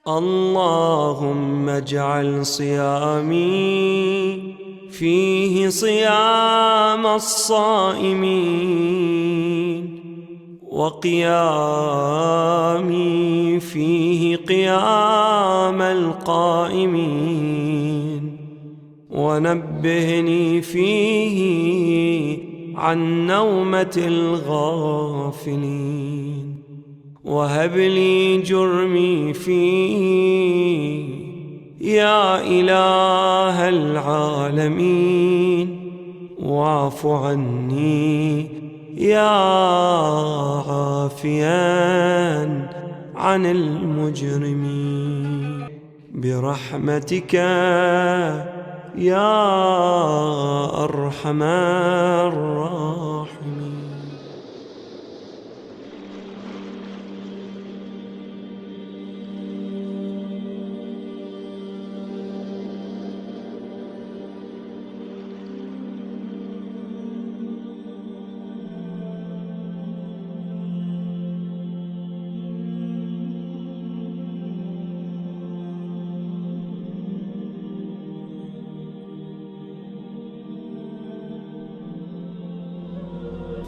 اللهم اجعل صيامي فيه صيام الصائمين، وقيامي فيه قيام القائمين، ونبهني فيه عن نومة الغافلين، وهب لي جرمي فيه يا إله العالمين، واعف عني يا عافيا عن المجرمين، برحمتك يا أرحم الراحمين.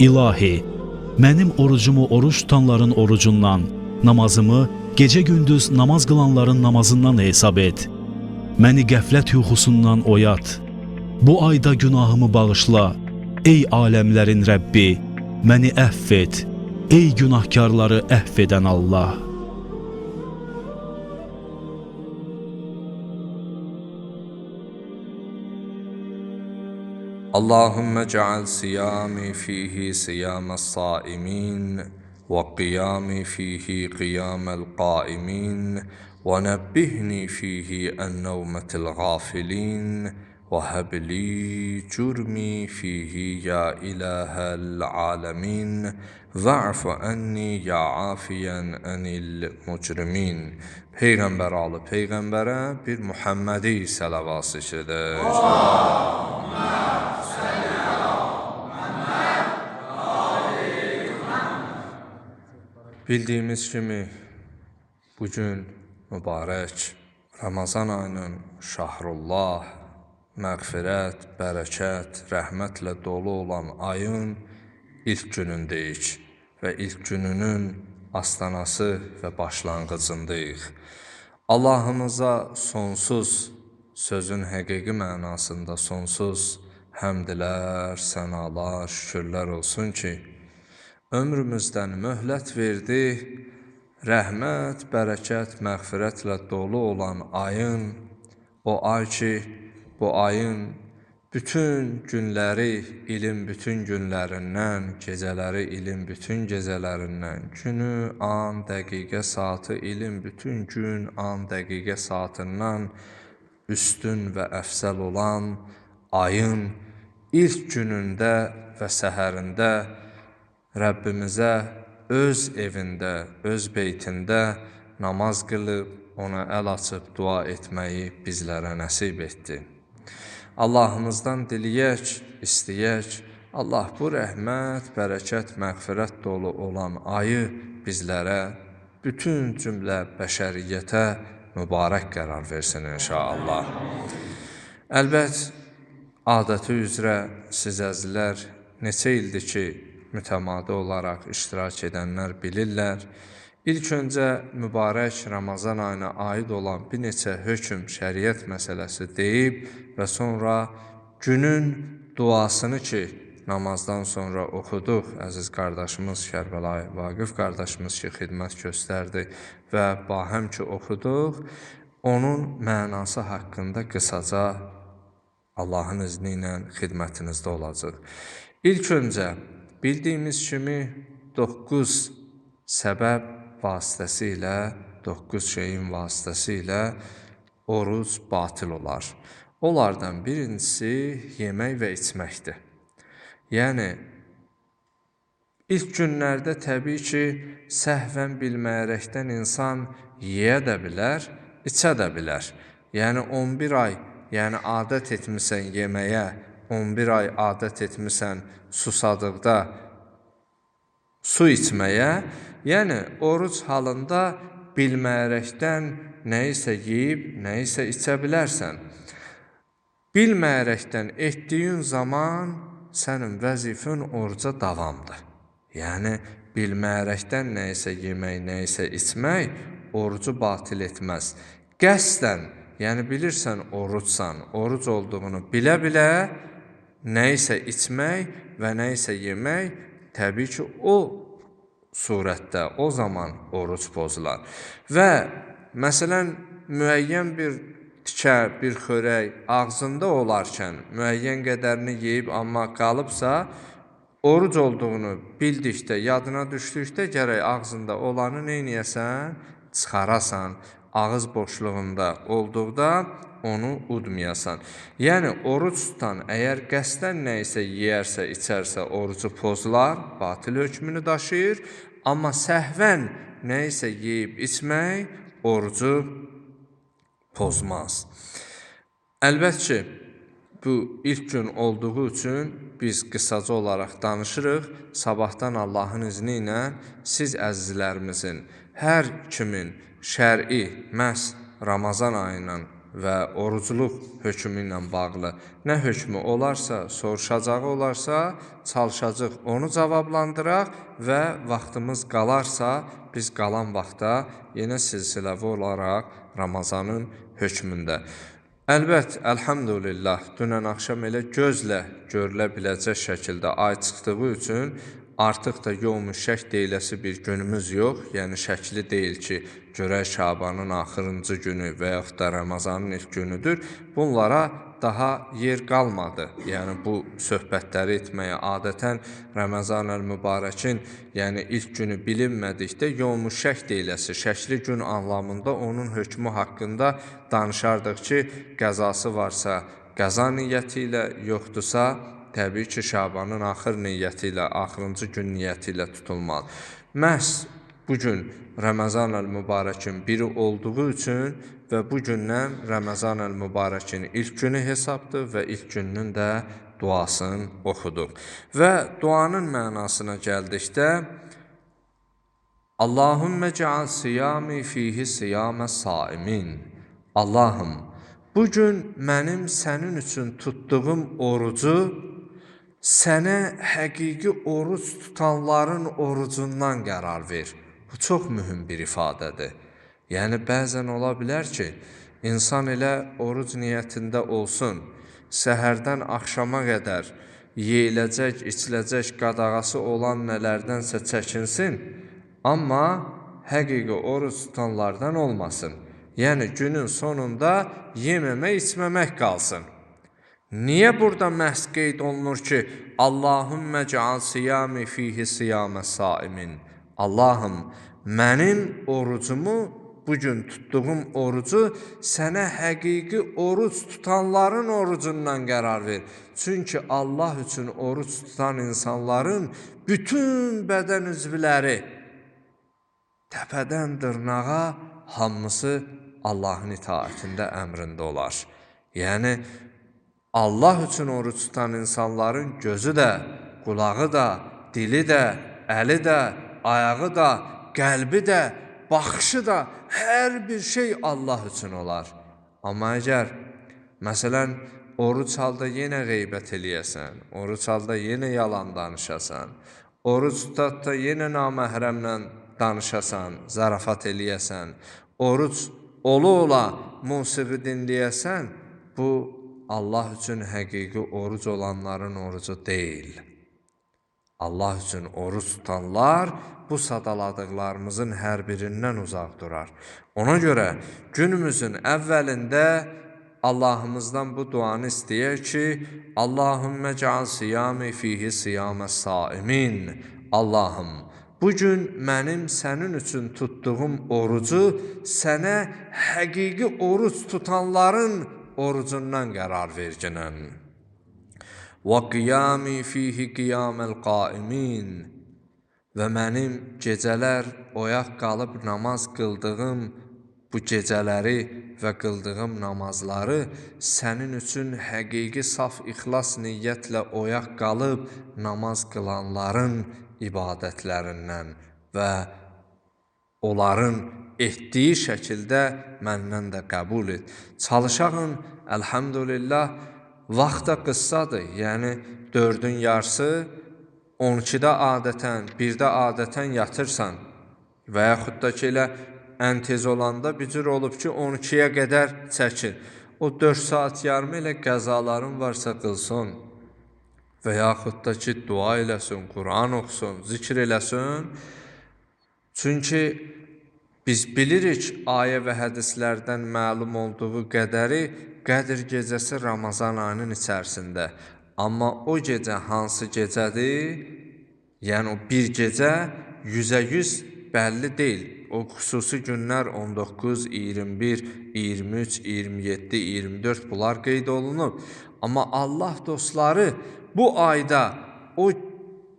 İlahi, mənim orucumu oruç tutanların orucundan, namazımı gecə-gündüz namaz qılanların namazından hesab et. Məni qəflət yuxusundan oyat. Bu ayda günahımı bağışla. Ey aləmlərin Rəbbi, məni əfv et. Ey günahkarları əfv edən Allah. اللهم اجعل صيامي فيه صيام الصائمين، وقيامي فيه قيام القائمين، ونبهني فيه عن نومة الغافلين، وهب لي جرمي فيه يا إله العالمين، واعف عني يا عافيا عن المجرمين. Peyğəmbər alı Peyğəmbərə bir Muhammedi səlavat seçilir. Bildiyimiz kimi bugün mübarək Ramazan ayının şahrullah, məğfirət, bərəkət, rəhmətlə dolu olan ayın ilk günündəyik və ilk gününün astanası və başlanğıcındayıq. Allahımıza sonsuz, sözün həqiqi mənasında sonsuz həmdlər, sənalar, şükürlər olsun ki, ömrümüzdən möhlət verdi, rəhmət, bərəkət, məğfirətlə dolu olan ayın, o ay ki, bu ayın bütün günləri ilin bütün günlərindən, gecələri ilin bütün gecələrindən, günü, an, dəqiqə, saatı ilin bütün gün, an, dəqiqə, saatından üstün və əfsəl olan ayın ilk günündə və səhərində Rəbbimizə öz evində, öz beytində namaz qılıb, ona əl açıb dua etməyi bizlərə nəsib etdi. Allahımızdan diliyək, istəyək, Allah bu rəhmət, bərəkət, məğfirət dolu olan ayı bizlərə, bütün cümlə bəşəriyyətə mübarək qərar versin inşallah. Əlbət, adəti üzrə siz əzizlər neçə ildir ki, mütəmadi olaraq iştirak edənlər bilirlər. İlk öncə mübarək Ramazan ayına aid olan bir neçə hökm, şəriət məsələsi deyib və sonra günün duasını ki, namazdan sonra oxuduq, əziz qardaşımız Kərbəlayı Vaqif qardaşımız ki, xidmət göstərdi və bahəm ki, oxuduq, onun mənası haqqında qısaca Allahın izni ilə xidmətinizdə olacaq. İlk öncə, bildiyimiz kimi 9 səbəb vasitəsilə, 9 şeyin vasitəsilə oruc batil olar. Onlardan birincisi yemək və içməkdir. Yəni, ilk günlərdə təbii ki, səhvən bilməyərəkdən insan yeyə də bilər, içə də bilər. Yəni, 11 ay, yəni adət etmisən yeməyə, 11 ay adət etmisən susadıqda su içməyə, yəni oruc halında bilməyərəkdən nəyisə yeyib, nəyisə içə bilərsən. Bilməyərəkdən etdiyin zaman sənin vəzifən oruca davamdır. Yəni, bilməyərəkdən nəyisə yemək, nəyisə içmək orucu batil etməz. Qəsdən, yəni bilirsən orucsan, oruc olduğunu bilə-bilə nəyisə içmək və nəyisə yemək, təbii ki, o surətdə, o zaman oruc pozular. Və məsələn, müəyyən bir tikə, bir xörək ağzında olarkən, müəyyən qədərini yeyib, amma qalıbsa, oruc olduğunu bildikdə, yadına düşdükdə gərək ağzında olanı neyniyəsən? Çıxarasan, ağız boşluğunda olduqda onu udmayasan. Yəni, oruc tutan əgər qəsdən nəyisə yeyərsə, içərsə, orucu pozular, batil hökmünü daşıyır. Amma səhvən nəyisə yeyib içmək orucu pozmaz. Əlbəttə ki, bu ilk gün olduğu üçün biz qısaca olaraq danışırıq. Sabahdan Allahın izni ilə siz əzizlərimizin, hər kimin şər'i məhz Ramazan ayıyla və orucluq hökmü ilə bağlı nə hökmü olarsa, soruşacağı olarsa, çalışacaq onu cavablandıraq və vaxtımız qalarsa, biz qalan vaxtda yenə silsiləvi olaraq Ramazanın hökmündə. Əlbət, əlhamdülillah, dünən axşam elə gözlə görülə biləcək şəkildə ay çıxdığı üçün artıq da yevm-ü şək deyiləsi bir günümüz yox. Yəni, şəkli deyil ki, görək Şabanın axırıncı günü və yaxud da Ramazanın ilk günüdür. Bunlara daha yer qalmadı. Yəni, bu söhbətləri etməyə adətən Ramazan-əl-Mübarəkin yəni ilk günü bilinmədikdə yevm-ü şək deyiləsi, şəkli gün anlamında onun hökmü haqqında danışardıq ki, qəzası varsa qəza niyyəti ilə, yoxdursa, təbii ki, Şabanın axır niyyəti ilə, axırıncı gün niyyəti ilə tutulmalı. Məhz bugün Ramazan-əl-Mübarəkin biri olduğu üçün və bu gündən Ramazan-əl-Mübarəkin ilk günü hesabdır və ilk gününün də duasını oxuduq. Və duanın mənasına gəldikdə Allahümmə cəal siyami fihi siyamə saimin. Allahım, bugün mənim sənin üçün tutduğum orucu sənə həqiqi oruc tutanların orucundan qərar ver. Bu çox mühüm bir ifadədir. Yəni, bəzən ola bilər ki, insan elə oruc niyyətində olsun, səhərdən axşama qədər yeyiləcək, içiləcək qadağası olan nələrdənsə çəkinsin, amma həqiqi oruc tutanlardan olmasın. Yəni, günün sonunda yeməmək, içməmək qalsın. Niyə burada məhz qeyd olunur ki, Allahümmə cəal siyami fihi siyamə saimin? Allahım, mənim orucumu, bugün tutduğum orucu sənə həqiqi oruc tutanların orucundan qərar ver. Çünki Allah üçün oruc tutan insanların bütün bədən üzvləri təpədən dırnağa hamısı Allahın itaətində, əmrində olar. Yəni, Allah üçün oruc tutan insanların gözü də, qulağı da, dili də, əli də, ayağı da, qəlbi də, baxışı da, hər bir şey Allah üçün olar. Amma əgər, məsələn, oruc halda yenə qeybət eləyəsən, oruc halda yenə yalan danışasan, oruc tutatda yenə naməhrəmlə danışasan, zarafat eləyəsən, oruc ola-ola musiqi dinləyəsən, bu Allah üçün həqiqi oruc olanların orucu deyil. Allah üçün oruc tutanlar bu sadaladıqlarımızın hər birindən uzaq durar. Ona görə günümüzün əvvəlində Allahımızdan bu duanı istəyək ki, Allahümmə cəal siyami fihi siyamə saimin. Allahım, bugün mənim sənin üçün tutduğum orucu sənə həqiqi oruc tutanların orucundan qərar verginən. Və qiyami fihi qiyaməl qaimin. Və mənim gecələr oyaq qalıb namaz qıldığım bu gecələri və qıldığım namazları sənin üçün həqiqi saf ixlas niyyətlə oyaq qalıb namaz qılanların ibadətlərindən və onların etdiyi şəkildə məndən də qəbul et. Çalışağın, əlhamdülillah, vaxta qıssadır. Yəni 4-ün yarısı 12-də adətən, 1-də adətən yatırsan və yaxud da ki, elə ən tez olanda bir cür olub ki, 12-yə qədər çəkir. O 4 saat yarım elə qəzaların varsa qılsın və yaxud da ki, dua eləsin, Quran oxusun, zikr eləsin. Çünki biz bilirik, ayə və hədislərdən məlum olduğu qədəri, Qədr gecəsi Ramazan ayının içərisində. Amma o gecə hansı gecədir? Yəni o bir gecə 100% bəlli deyil. O xüsusi günlər 19, 21, 23, 27, 24 bunlar qeyd olunub. Amma Allah dostları bu ayda o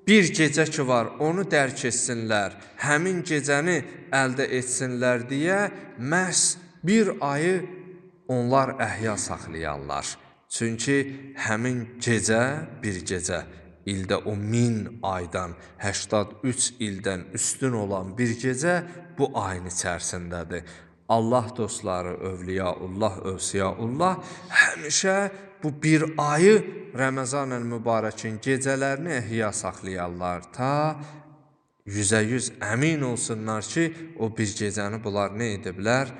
bir gecə ki var, onu dərk etsinlər, həmin gecəni əldə etsinlər deyə məhz bir ayı onlar əhya saxlayanlar. Çünki həmin gecə bir gecə, ildə o 1000 aydan, 83 ildən üstün olan bir gecə bu ayın içərisindədir. Allah dostları, övliyaullah, övsiyaullah həmişə bu bir ayı Ramazan-ül Mübarəkin gecələrini əhya saxlayarlar. Ta 100% əmin olsunlar ki, o bir gecəni bunlar nə ediblər?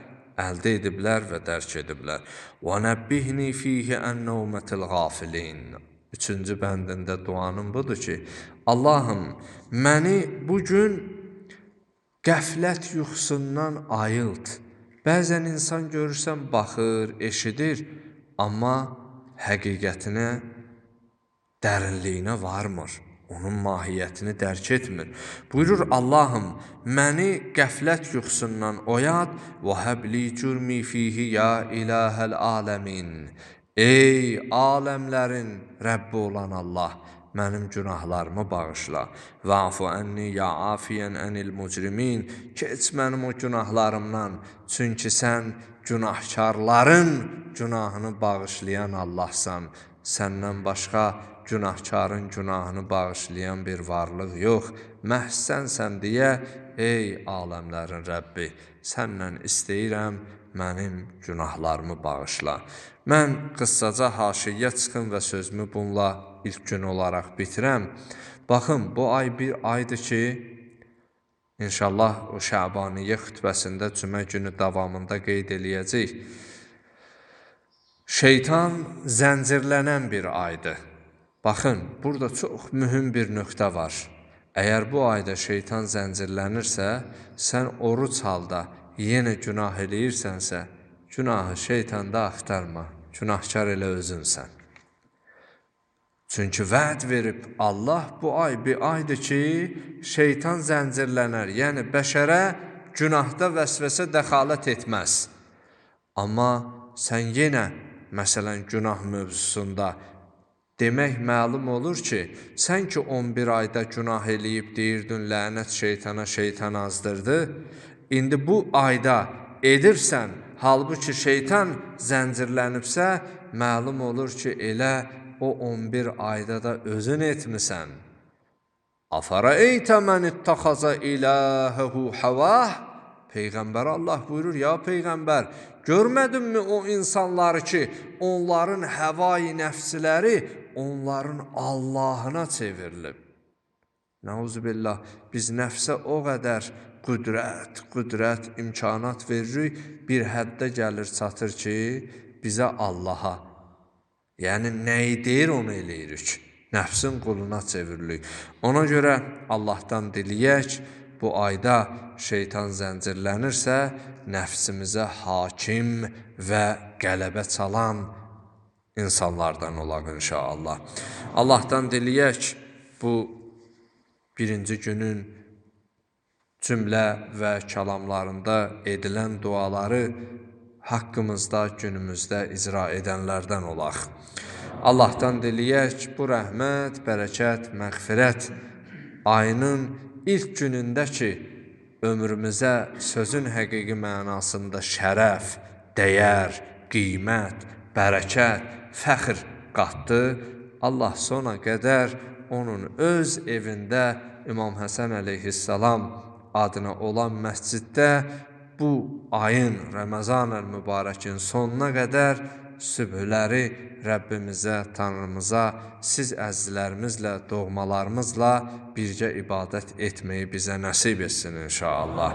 Əldə ediblər və dərk ediblər. وَنَبِّهْنِي فِيهِ أَنَّوْمَةِ الْغَافِلِينَ 3-cü bəndində duanım budur ki, Allahım, məni bugün qəflət yuxusundan ayılt. Bəzən insan görürsən, baxır, eşidir, amma həqiqətinə, dərinliyinə varmır. Onun mahiyyətini dərk etmir. Buyurur Allahım, məni qəflət yuxusundan oyat və həbli cürmi fihi ya ilahəl aləmin. Ey aləmlərin Rəbbi olan Allah, mənim günahlarımı bağışla. Va'fu ənni ya afiyən ənil mücrimin. Keç mənim o günahlarımdan. Çünki sən günahkarların günahını bağışlayan Allahsan. Səndən başqa günahkarın günahını bağışlayan bir varlıq yox. Məhz sənsən deyə, ey aləmlərin Rəbbi, səndən istəyirəm, mənim günahlarımı bağışla. Mən qıssaca haşiyə çıxım və sözümü bununla ilk gün olaraq bitirəm. Baxın, bu ay bir aydır ki, İnşallah o Şəbaniyyə xütbəsində cümə günü davamında qeyd eləyəcək. Şeytan zəncirlənən bir aydır. Baxın, burada çox mühüm bir nöqtə var. Əgər bu ayda şeytan zəncirlənirsə, sən oruc halda yenə günah eləyirsənsə, günahı şeytanda axtarma, günahkar elə özünsən. Çünki vəd verib Allah bu ay bir aydır ki, şeytan zəncirlənər, yəni bəşərə günahda vəsvəsə dəxalət etməz. Amma sən yenə, məsələn, günah mövzusunda demək məlum olur ki, sən ki 11 ayda günah eləyib deyirdin, lənət şeytana, şeytan azdırdı. İndi bu ayda edirsən, halbuki şeytan zəncirlənibsə, məlum olur ki, elə o 11 ayda da özün etmisən. Əfərəytə mən ittəxaza iləhəhu havah. Peyğəmbər Allah buyurur, ya Peyğəmbər, görmədinmi o insanları ki, onların həvai nəfsləri onların Allahına çevrilib. Nəuzubillah, biz nəfsə o qədər qüdrət, imkanat veririk, bir həddə gəlir çatır ki, bizə Allaha, yəni nəyi deyir onu eləyirik, nəfsin quluna çeviririk. Ona görə Allahdan diliyək, bu ayda şeytan zəncirlənirsə, nəfsimizə hakim və qələbə çalan insanlardan olaq inşallah. Allahdan diliyək, bu birinci günün cümlə və kəlamlarında edilən duaları haqqımızda, günümüzdə icra edənlərdən olaq. Allahdan diliyək, bu rəhmət, bərəkət, məğfirət ayının ilk günündə ki, ömrümüzə sözün həqiqi mənasında şərəf, dəyər, qiymət, bərəkət, fəxr qatdı. Allah sona qədər onun öz evində İmam Həsən əleyhissalam adına olan məsciddə bu ayın, Ramazan-ül Mübarəkin sonuna qədər sübhləri Rəbbimizə, Tanrımıza, siz əzizlərimizlə, doğmalarımızla birgə ibadət etməyi bizə nəsib etsin inşallah.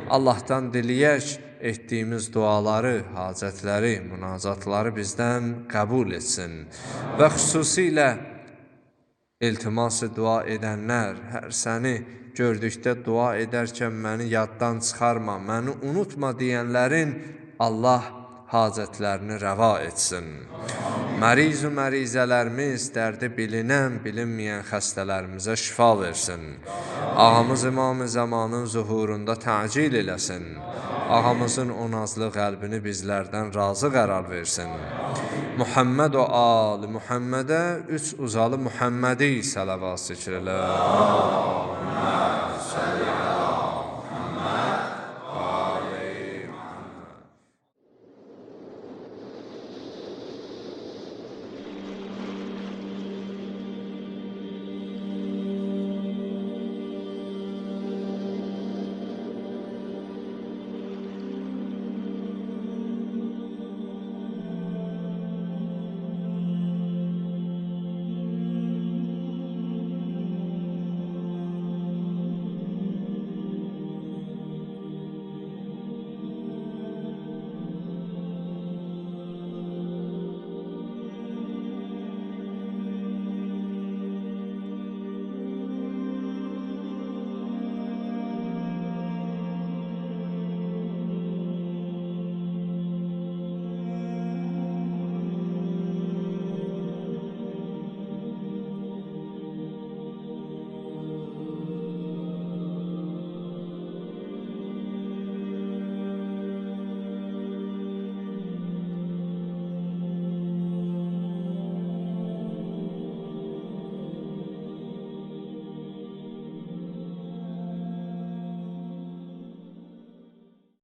Allahdan diləyək, etdiyimiz duaları, hacətləri, münacatları bizdən qəbul etsin və xüsusilə iltiması dua edənlər, hər səni gördükdə dua edərkən məni yaddan çıxarma, məni unutma deyənlərin Allah hacətlərini rəva etsin. Məriz-u mərizələrimiz, dərdi bilinən, bilinməyən xəstələrimizə şifa versin. Ağamız İmam-ı Zamanın zuhurunda təcil eləsin. Ağamızın o nazlı qəlbini bizlərdən razı qərar versin. Muhammed o ali Muhammedə 3 uzalı Muhammedi sələvat zikr elə.